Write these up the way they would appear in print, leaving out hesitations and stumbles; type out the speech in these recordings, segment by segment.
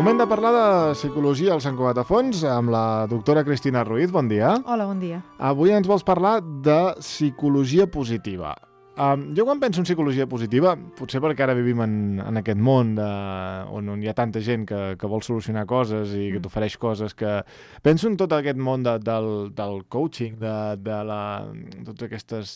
Moment de parlar de psicologia al Sant Cugat a Fons amb la doctora Cristina Ruiz. Bon dia. Hola, bon dia. Avui ens vols parlar de psicologia positiva. Jo quan penso en psicologia positiva, potser perquè ara vivim en aquest món on hi ha tanta gent que vol solucionar coses i que t'ofereix coses, que penso en tot aquest món del coaching, de totes aquestes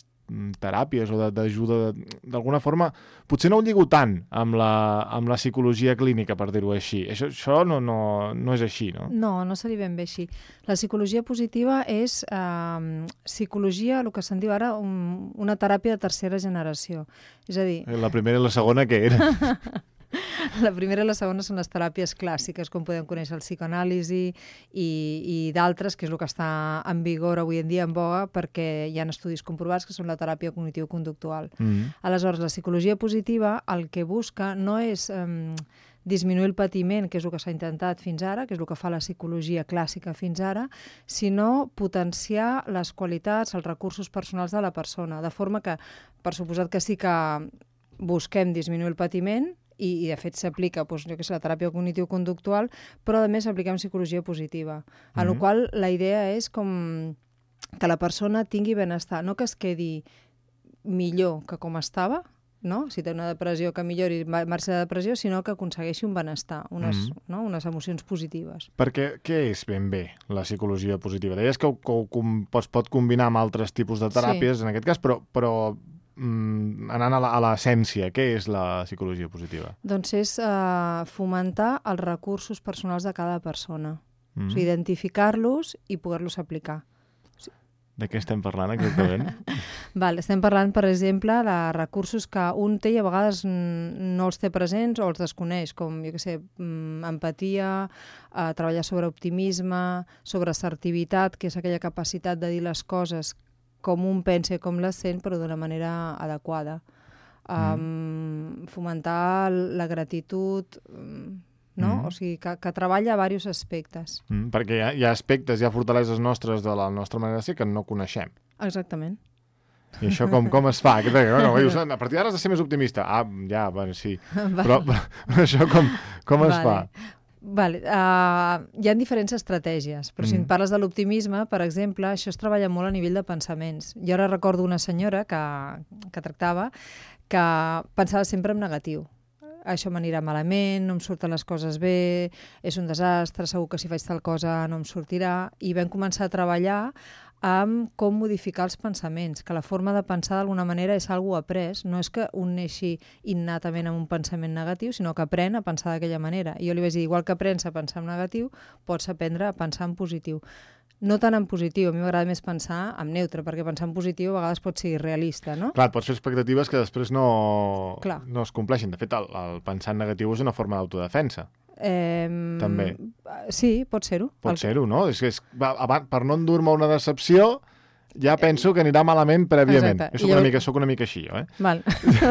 teràpies o d'ajuda, d'alguna forma, potser no ho lligo tant amb la psicologia clínica, per dir-ho així. Això no és així, no? No seria ben bé així. La psicologia positiva és psicologia, el que se'n diu ara, una teràpia de tercera generació. És a dir... La primera i la segona, què era? La primera i la segona són les teràpies clàssiques, com podem conèixer el psicoanàlisi i d'altres, que és el que està en vigor avui en dia, en boga, perquè hi ha estudis comprovats que són la teràpia cognitiu-conductual. Aleshores, la psicologia positiva el que busca no és disminuir el patiment, que és el que s'ha intentat fins ara, que és el que fa la psicologia clàssica fins ara, sinó potenciar les qualitats, els recursos personals de la persona, de forma que, per suposat que sí que busquem disminuir el patiment, i de fet s'aplica la teràpia cognitiu-conductual, però a més apliquem psicologia positiva, en la qual la idea és com que la persona tingui benestar, no que es quedi millor que com estava, no? Si té una depressió, que millori marxa de depressió, sinó que aconsegueixi un benestar, unes emocions positives. Perquè què és ben bé la psicologia positiva? Deies que es pot combinar amb altres tipus de teràpies, en aquest cas, però anant a l'essència, què és la psicologia positiva? Doncs és fomentar els recursos personals de cada persona, o sigui, identificar-los i poder-los aplicar. De què estem parlant exactament? Estem parlant, per exemple, de recursos que un té i a vegades no els té presents o els desconeix, com, empatia, treballar sobre optimisme, sobre assertivitat, que és aquella capacitat de dir les coses com un pensa i com les sent, però d'una manera adequada. Fomentar la gratitud, no? O sigui, que treballa a diversos aspectes. Perquè hi ha aspectes, hi ha fortaleses nostres de la nostra manera de ser que no coneixem. Exactament. I això com es fa? A partir d'ara has de ser més optimista. Sí. Però això com es fa? Hi ha diferents estratègies, però si en parles de l'optimisme, per exemple, això es treballa molt a nivell de pensaments. Jo ara recordo una senyora que tractava que pensava sempre en negatiu. Això m'anirà malament, no em surten les coses bé, és un desastre, segur que si faig tal cosa no em sortirà. I vam començar a treballar amb com modificar els pensaments, que la forma de pensar d'alguna manera és algo après, no és que un neixi innatament amb un pensament negatiu, sinó que aprèn a pensar d'aquella manera. I jo li vaig dir, igual que aprens a pensar en negatiu, pots aprendre a pensar en positiu. No tant en positiu, a mi m'agrada més pensar en neutre, perquè pensar en positiu a vegades pot ser irrealista, no? Clar, pots fer expectatives que després no es compleixin. De fet, el pensar en negatiu és una forma d'autodefensa. També. Sí, pot ser-ho. Pot ser-ho, no? Per no endur-me una decepció, ja penso que anirà malament prèviament. Jo soc una mica així, jo, Val.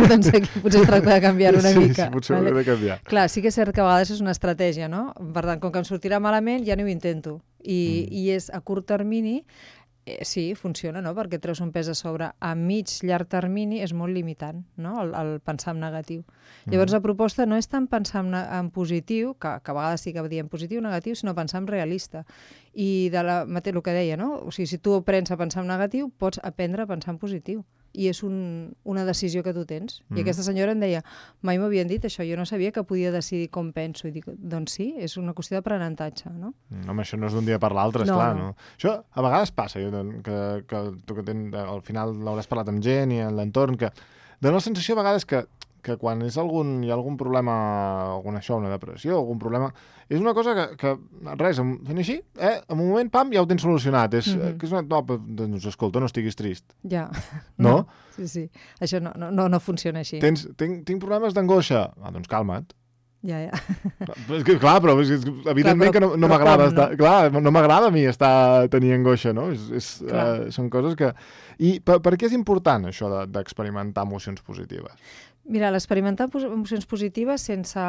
Doncs aquí potser es tracta de canviar una mica. Sí, potser ho he de canviar. Clar, sí que és cert que a vegades és una estratègia, no? Per tant, com que em sortirà malament, ja no ho intento. I és a curt termini, sí, funciona, no? Perquè treus un pes a sobre. A llarg termini és molt limitant, no? El pensar en negatiu. Llavors la proposta no és tant pensar en positiu, que a vegades sí que diem positiu o negatiu, sinó pensar en realista. I el que deia, no? O sigui, si tu aprens a pensar en negatiu, pots aprendre a pensar en positiu. I és una decisió que tu tens. I aquesta senyora em deia, mai m'havien dit això, jo no sabia que podia decidir com penso. I dic, doncs sí, és una qüestió d'aprenentatge, no? Home, això no és d'un dia per l'altre, esclar, no? Això a vegades passa, que tu al final l'hauràs parlat amb gent i en l'entorn, que dona la sensació a vegades que quan hi ha algun problema, una depressió, algun problema, és una cosa que res, fent així, en un moment, pam, ja ho tens solucionat. Doncs escolta, no estiguis trist. Ja. No? Sí. Això no funciona així. Tinc problemes d'angoixa. Doncs calma't. Ja. Clar, però evidentment que no m'agrada estar... Clar, no m'agrada a mi tenir angoixa, no? Són coses que... I per què és important això d'experimentar emocions positives? Mira, l'experimentar emocions positives sense...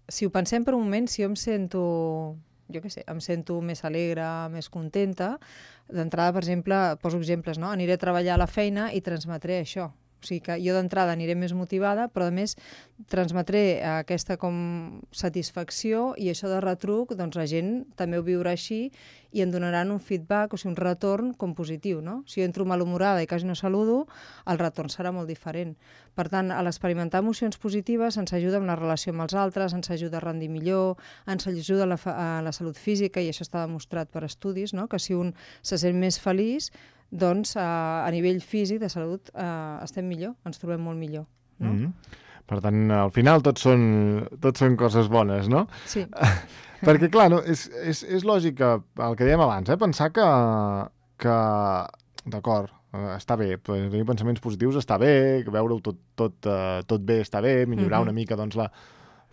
Si ho pensem per un moment, si jo em sento més alegre, més contenta, d'entrada, per exemple, poso exemples, no? Aniré a treballar a la feina i transmetré això. O sigui que jo d'entrada aniré més motivada, però a més transmetré aquesta com satisfacció i això de retruc, doncs la gent també ho viurà així i em donaran un feedback, o sigui, un retorn com positiu, no? Si jo entro malhumorada i quasi no saludo, el retorn serà molt diferent. Per tant, a l'experimentar emocions positives ens ajuda en la relació amb els altres, ens ajuda a rendir millor, ens ajuda a la salut física, i això està demostrat per estudis, no? Que si un se sent més feliç, doncs a nivell físic de salut estem millor, ens trobem molt millor. No? Per tant, al final tot són coses bones, no? Sí. Perquè, clar, no, és lògic que, el que dèiem abans, pensar que d'acord, està bé, tenir pensaments positius està bé, veure-ho tot bé està bé, millorar una mica doncs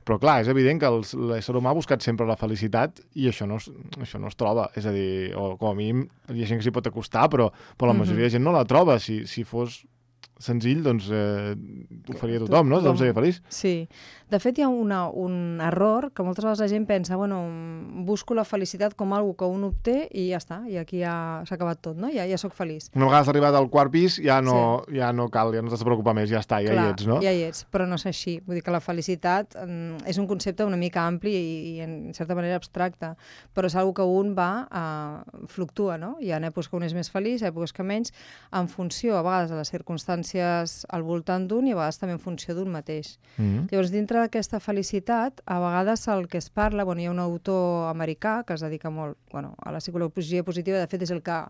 Però clar, és evident que l'ésser humà ha buscat sempre la felicitat i això no es troba. És a dir, o com a mínim hi ha gent que s'hi pot acostar, però la majoria de gent no la troba. Si fos senzill, doncs ho faria tothom, no? Tothom seria feliç. Sí. De fet, hi ha un error que moltes vegades la gent pensa, bueno, busco la felicitat com algo que un obté i ja està, i aquí ja s'ha acabat tot, no? Ja sóc feliç. Una vegada has arribat al quart pis, ja no cal, ja no t'has de preocupar més, ja està, ja hi ets, no? Ja hi ets, però no és així. Vull dir que la felicitat és un concepte una mica ampli i en certa manera abstracte, però és algo que un fluctua, no? Hi ha èpoques que un és més feliç, èpoques que menys, en funció, a vegades, de les circumstàncies al voltant d'un i a vegades també en funció d'un mateix. Llavors, dintre d'aquesta felicitat, a vegades el que es parla, hi ha un autor americà que es dedica molt a la psicologia positiva, de fet és el que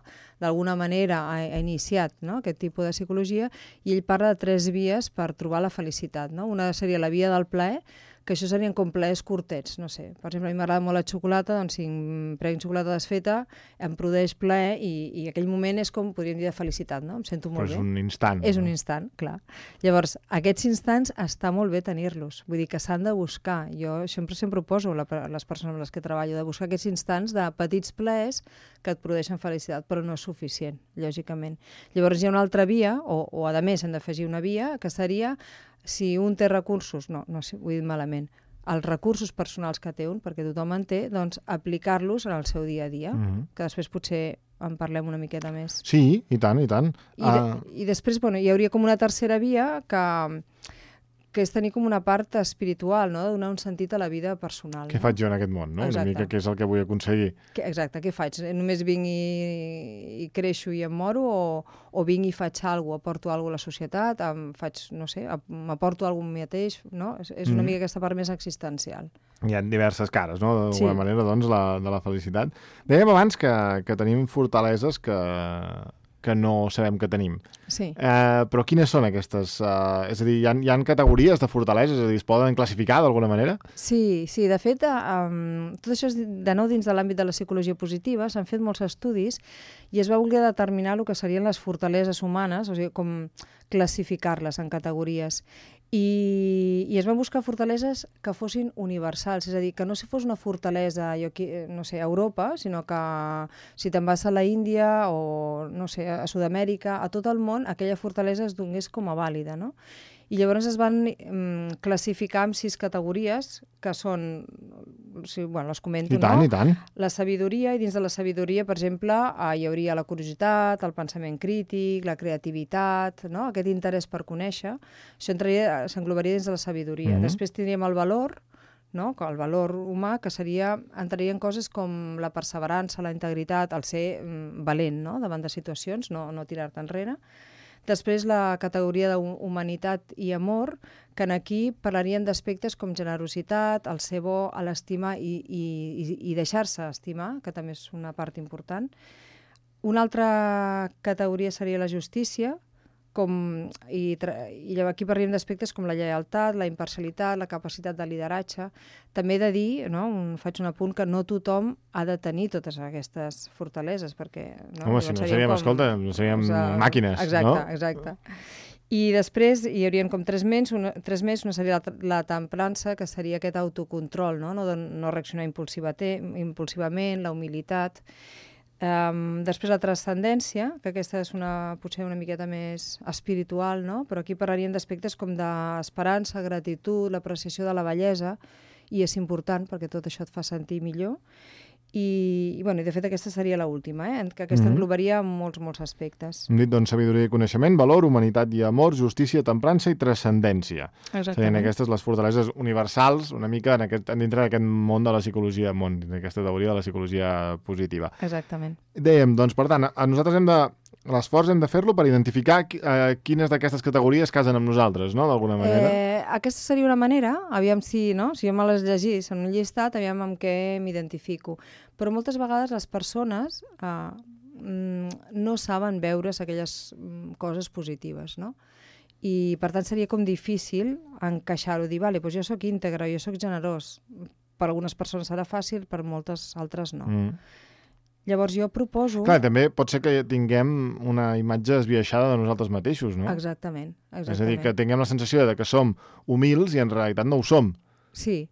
d'alguna manera ha iniciat, no? Aquest tipus de psicologia, i ell parla de 3 vies per trobar la felicitat. No? Una seria la via del plaer, que això serien com plaers curtets, no sé. Per exemple, a mi m'agrada molt la xocolata, doncs si em prenc xocolata desfeta, em produeix plaer i aquell moment és com, podríem dir, de felicitat, no? Em sento molt bé. Però és un instant. És un instant, clar. Llavors, aquests instants està molt bé tenir-los, vull dir que s'han de buscar. Jo sempre ho poso a les persones amb les que treballo, de buscar aquests instants de petits plaers que et produeixen felicitat, però no és suficient, lògicament. Llavors hi ha una altra via, o a més hem d'afegir una via, que seria si un té recursos, no sé, ho he dit malament, els recursos personals que té un, perquè tothom en té, doncs aplicar-los en el seu dia a dia, que després potser en parlem una miqueta més. Sí, i tant, i tant. I després, hi hauria com una tercera via que és tenir com una part espiritual, no? De donar un sentit a la vida personal. Què faig jo en aquest món, no? Exacte. Una mica què és el que vull aconseguir. Exacte, què faig? Només vinc i creixo i em moro o vinc i faig alguna cosa, aporto alguna cosa a la societat, m'aporto alguna cosa mateix, no? És una mica aquesta part més existencial. Hi ha diverses cares, no? D'alguna manera, doncs, de la felicitat. Dèiem abans que tenim fortaleses que no sabem que tenim. Sí. Però quines són aquestes? És a dir, hi ha categories de fortaleses, és a dir, es poden classificar d'alguna manera? Sí, de fet, tot això és de nou dins de l'àmbit de la psicologia positiva, s'han fet molts estudis i es va voler determinar el que serien les fortaleses humanes, o sigui, com classificar-les en categories. I es van buscar fortaleses que fossin universals, és a dir, que no fos una fortalesa, a Europa, sinó que si te'n vas a la Índia o, no sé, a Sud-amèrica, a tot el món, aquella fortalesa es donés com a vàlida, no? I llavors es van classificar en 6 categories, que són, les comento, I tant. La sabidoria, i dins de la sabidoria, per exemple, hi hauria la curiositat, el pensament crític, la creativitat, no? Aquest interès per conèixer, això s'englobaria dins de la sabidoria. Després tindríem el valor, no? El valor humà, que entraria en coses com la perseverança, la integritat, el ser valent, no? Davant de situacions, no tirar-te enrere. Després la categoria d'humanitat i amor, que aquí parlaríem d'aspectes com generositat, el ser bo, l'estimar i deixar-se estimar, que també és una part important. Una altra categoria seria la justícia, i aquí parlaríem d'aspectes com la lleialtat, la imparcialitat, la capacitat de lideratge. També he de dir, faig un apunt, que no tothom ha de tenir totes aquestes fortaleses, perquè... Home, si no seríem màquines, no? Exacte. I després hi haurien com 3 més. Una seria la temprança, que seria aquest autocontrol, no reaccionar impulsivament, la humilitat. Després la transcendència, que aquesta és potser una miqueta més espiritual, no? Però aquí parlaríem d'aspectes com d'esperança, gratitud, l'apreciació de la bellesa, i és important perquè tot això et fa sentir millor. I de fet aquesta seria l'última, que aquesta englobaria molts aspectes. Hem dit, doncs, sabidoria i coneixement, valor, humanitat i amor, justícia, temprança i transcendència. Serien aquestes les fortaleses universals, una mica dintre d'aquest món de la psicologia, d'aquesta teoria de la psicologia positiva. Exactament. Dèiem, doncs, per tant, nosaltres l'esforç hem de fer-lo per identificar quines d'aquestes categories casen amb nosaltres, no?, d'alguna manera. Aquesta seria una manera, aviam si jo me les llegís en un llistat, aviam amb què m'identifico. Però moltes vegades les persones no saben veure's aquelles coses positives, no? I, per tant, seria com difícil encaixar-ho, dir, vale, doncs jo sóc íntegre, jo sóc generós. Per algunes persones serà fàcil, per moltes altres no. Llavors jo proposo... Clar, també pot ser que tinguem una imatge esbiaixada de nosaltres mateixos, no? Exactament. És a dir, que tinguem la sensació de que som humils i en realitat no ho som. Sí.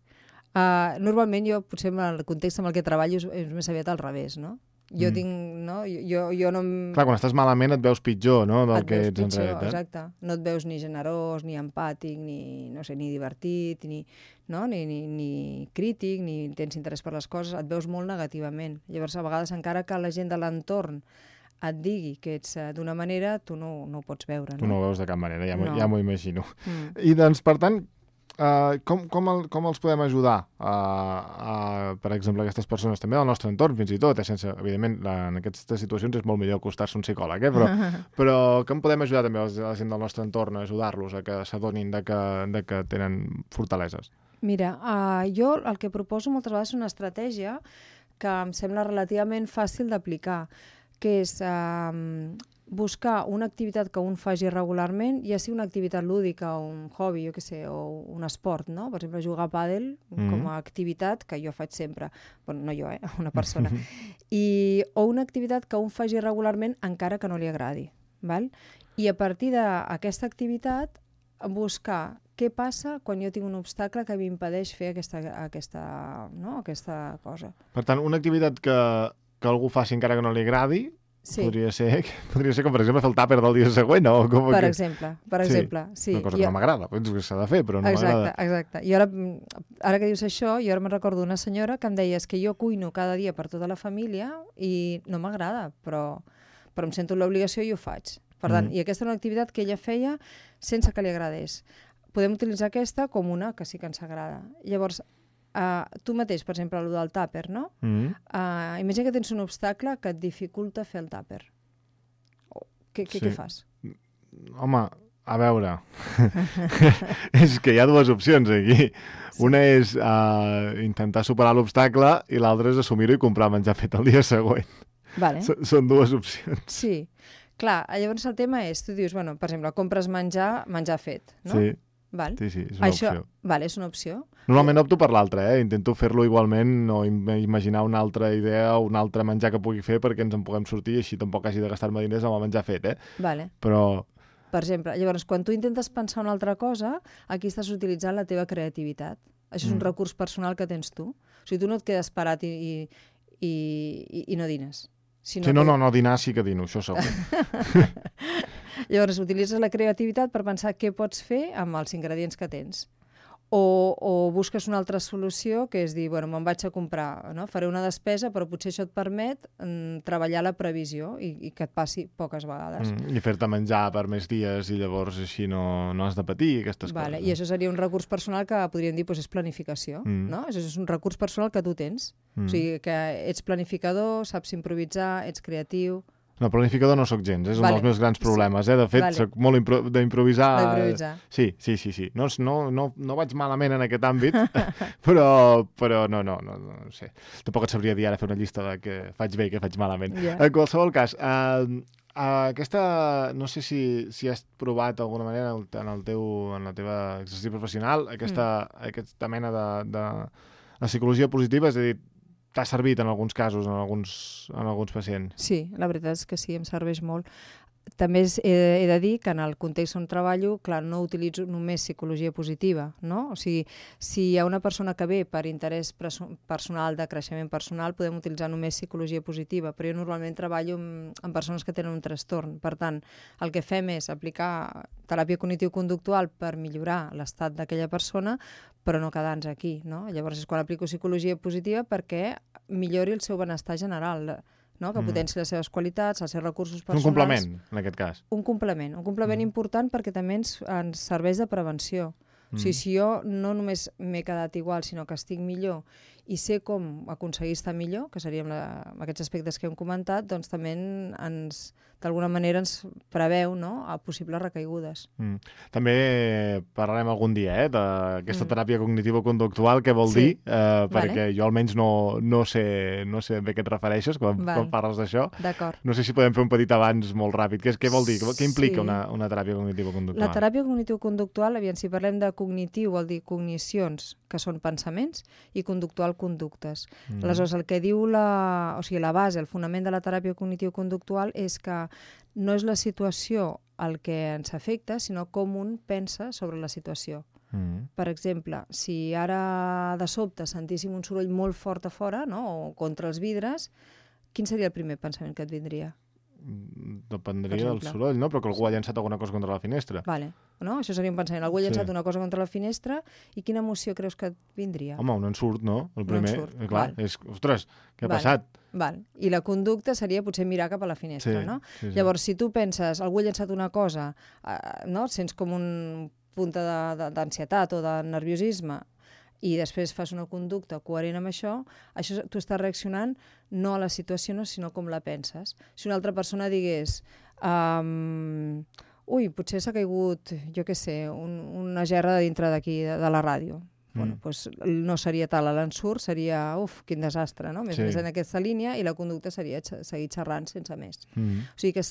Normalment jo, potser en el context amb el que treballo, és més aviat al revés, no? Jo tinc, no? Jo no... Clar, quan estàs malament et veus pitjor, no?, del que ets en realitat. Exacte. No et veus ni generós, ni empàtic, ni divertit, ni crític, ni tens interès per les coses, et veus molt negativament. Llavors, a vegades, encara que la gent de l'entorn et digui que ets d'una manera, tu no ho pots veure, no? Tu no ho veus de cap manera, ja m'ho imagino. I, doncs, per tant, com els podem ajudar, per exemple, aquestes persones, també del nostre entorn, fins i tot, evidentment, en aquestes situacions és molt millor acostar-se a un psicòleg, però com podem ajudar també a la gent del nostre entorn a ajudar-los a que s'adonin de que tenen fortaleses? Mira, jo el que proposo moltes vegades és una estratègia que em sembla relativament fàcil d'aplicar, que és buscar una activitat que un faci regularment, ja sigui una activitat lúdica, un hobby, jo què sé, o un esport, no? Per exemple, jugar a pàdel com a activitat, que jo faig sempre. Bueno, no jo, una persona. O una activitat que un faci regularment encara que no li agradi. Val? I a partir d'aquesta activitat buscar què passa quan jo tinc un obstacle que m'impedeix fer aquesta cosa. Per tant, una activitat que algú faci encara que no li agradi, sí. Podria ser com, per exemple, fer el tàper del dia següent, o com... Per exemple, sí. Una cosa que no m'agrada, que s'ha de fer, però no m'agrada. Exacte. I ara que dius això, jo ara me'n recordo una senyora que em deia que jo cuino cada dia per tota la família i no m'agrada, però em sento l'obligació i ho faig. Per tant, i aquesta era una activitat que ella feia sense que li agradés. Podem utilitzar aquesta com una que sí que ens agrada. Llavors, tu mateix, per exemple, el del tàper, no? Imagina que tens un obstacle que et dificulta fer el tàper. Què fas? Home, a veure, és que hi ha dues opcions aquí. Una és intentar superar l'obstacle i l'altra és assumir-ho i comprar menjar fet el dia següent. Vale. Són dues opcions. Sí. Clar, llavors el tema és, tu dius, bueno, per exemple, compres menjar fet, no? Sí. Val. Sí, és una opció. Vale, és una opció. Normalment opto per l'altra, intento fer-lo igualment o imaginar una altra idea o un altre menjar que pugui fer perquè ens en puguem sortir i així tampoc hagi de gastar-me diners amb el menjar fet, Vale. Però... Per exemple, llavors, quan tu intentes pensar una altra cosa, aquí estàs utilitzant la teva creativitat. Això és un recurs personal que tens tu. O sigui, tu no et quedes parat i no dines. No, dinar sí que dino, això segur. Llavors, utilitzes la creativitat per pensar què pots fer amb els ingredients que tens. O busques una altra solució, que és dir, bueno, me'n vaig a comprar, no? Faré una despesa, però potser això et permet treballar la previsió i que et passi poques vegades. I fer-te menjar per més dies i llavors així no has de patir aquestes coses. I això seria un recurs personal que podríem dir és planificació, no? Això és un recurs personal que tu tens. O sigui, que ets planificador, saps improvisar, ets creatiu... No, planificador no sóc gens, és un dels meus grans problemes. De fet, soc molt d'improvisar. Sí. No vaig malament en aquest àmbit, però no sé. Tampoc et sabria dir ara fer una llista de què faig bé i què faig malament. En qualsevol cas, aquesta, no sé si has provat d'alguna manera en la teva exercici professional aquesta mena de psicologia positiva, és a dir, t'ha servit en alguns casos, en alguns pacients? Sí, la veritat és que sí, em serveix molt. També he de dir que en el context on treballo, clar, no utilitzo només psicologia positiva, no? O sigui, si hi ha una persona que ve per interès personal, de creixement personal, podem utilitzar només psicologia positiva, però jo normalment treballo amb persones que tenen un trastorn. Per tant, el que fem és aplicar teràpia cognitivo-conductual per millorar l'estat d'aquella persona, però no quedar-nos aquí, no? Llavors és quan aplico psicologia positiva perquè millori el seu benestar general, no? Que potenci les seves qualitats, els seus recursos personals. Un complement, en aquest cas. Un complement important perquè també ens serveix de prevenció. O sigui, si jo no només m'he quedat igual, sinó que estic millor i sé com aconseguir estar millor, que seria amb aquests aspectes que hem comentat, doncs també d'alguna manera ens preveu, no?, a possibles recaigudes. També parlarem algun dia d'aquesta teràpia cognitivo-conductual, què vol dir, perquè jo almenys no sé bé a què et refereixes quan parles d'això. D'acord. No sé si podem fer un petit avanç molt ràpid. Què vol dir? Què implica una teràpia cognitivo-conductual? La teràpia cognitivo-conductual, si parlem de cognitiu, vol dir cognicions, que són pensaments, i conductual, conductes. Aleshores, el que diu la base, el fonament de la teràpia cognitivo-conductual és que no és la situació el que ens afecta, sinó com un pensa sobre la situació. Per exemple, si ara de sobte sentíssim un soroll molt fort a fora, no?, o contra els vidres, quin seria el primer pensament que et vindria? Dependria del soroll, no? Però que algú ha llançat alguna cosa contra la finestra. Vale. No? Això seria un pensament. Algú ha llançat una cosa contra la finestra i quina emoció creus que et vindria? Home, un ensurt, no? El primer, clar, és, ostres, què ha passat? Val. I la conducta seria potser mirar cap a la finestra, no? Llavors, si tu penses, algú ha llançat una cosa, no? Sents com un punt d'ansietat o de nerviosisme, i després fas una conducta coherent amb això tu estàs reaccionant no a la situació, sinó com la penses. Si una altra persona digués potser s'ha caigut, jo què sé, una gerra dintre d'aquí, de la ràdio. Bueno, doncs no seria tal l'ensurt, seria, quin desastre, no? Més en aquesta línia, i la conducta seria seguir xerrant sense més. O sigui que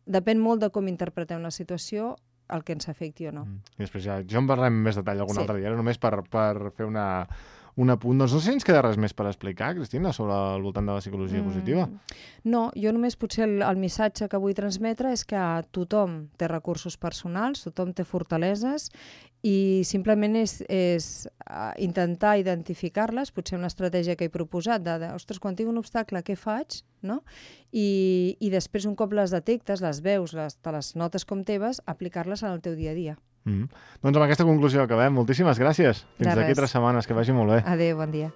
depèn molt de com interpretem la situació, el que ens afecti o no. I després ja en parlarem més detall algun altre dia, només per fer un apunt. Doncs no sé si ens queda res més per explicar, Cristina, sobre el voltant de la psicologia positiva. No, jo només potser el missatge que vull transmetre és que tothom té recursos personals, tothom té fortaleses, i simplement és intentar identificar-les, potser una estratègia que he proposat, ostres, quan tinc un obstacle, què faig? No? I després, un cop les detectes, les veus, te les notes com teves, aplicar-les en el teu dia a dia. Doncs amb aquesta conclusió acabem. Moltíssimes gràcies. Fins d'aquí 3 setmanes. Que vagi molt bé. Adéu, bon dia.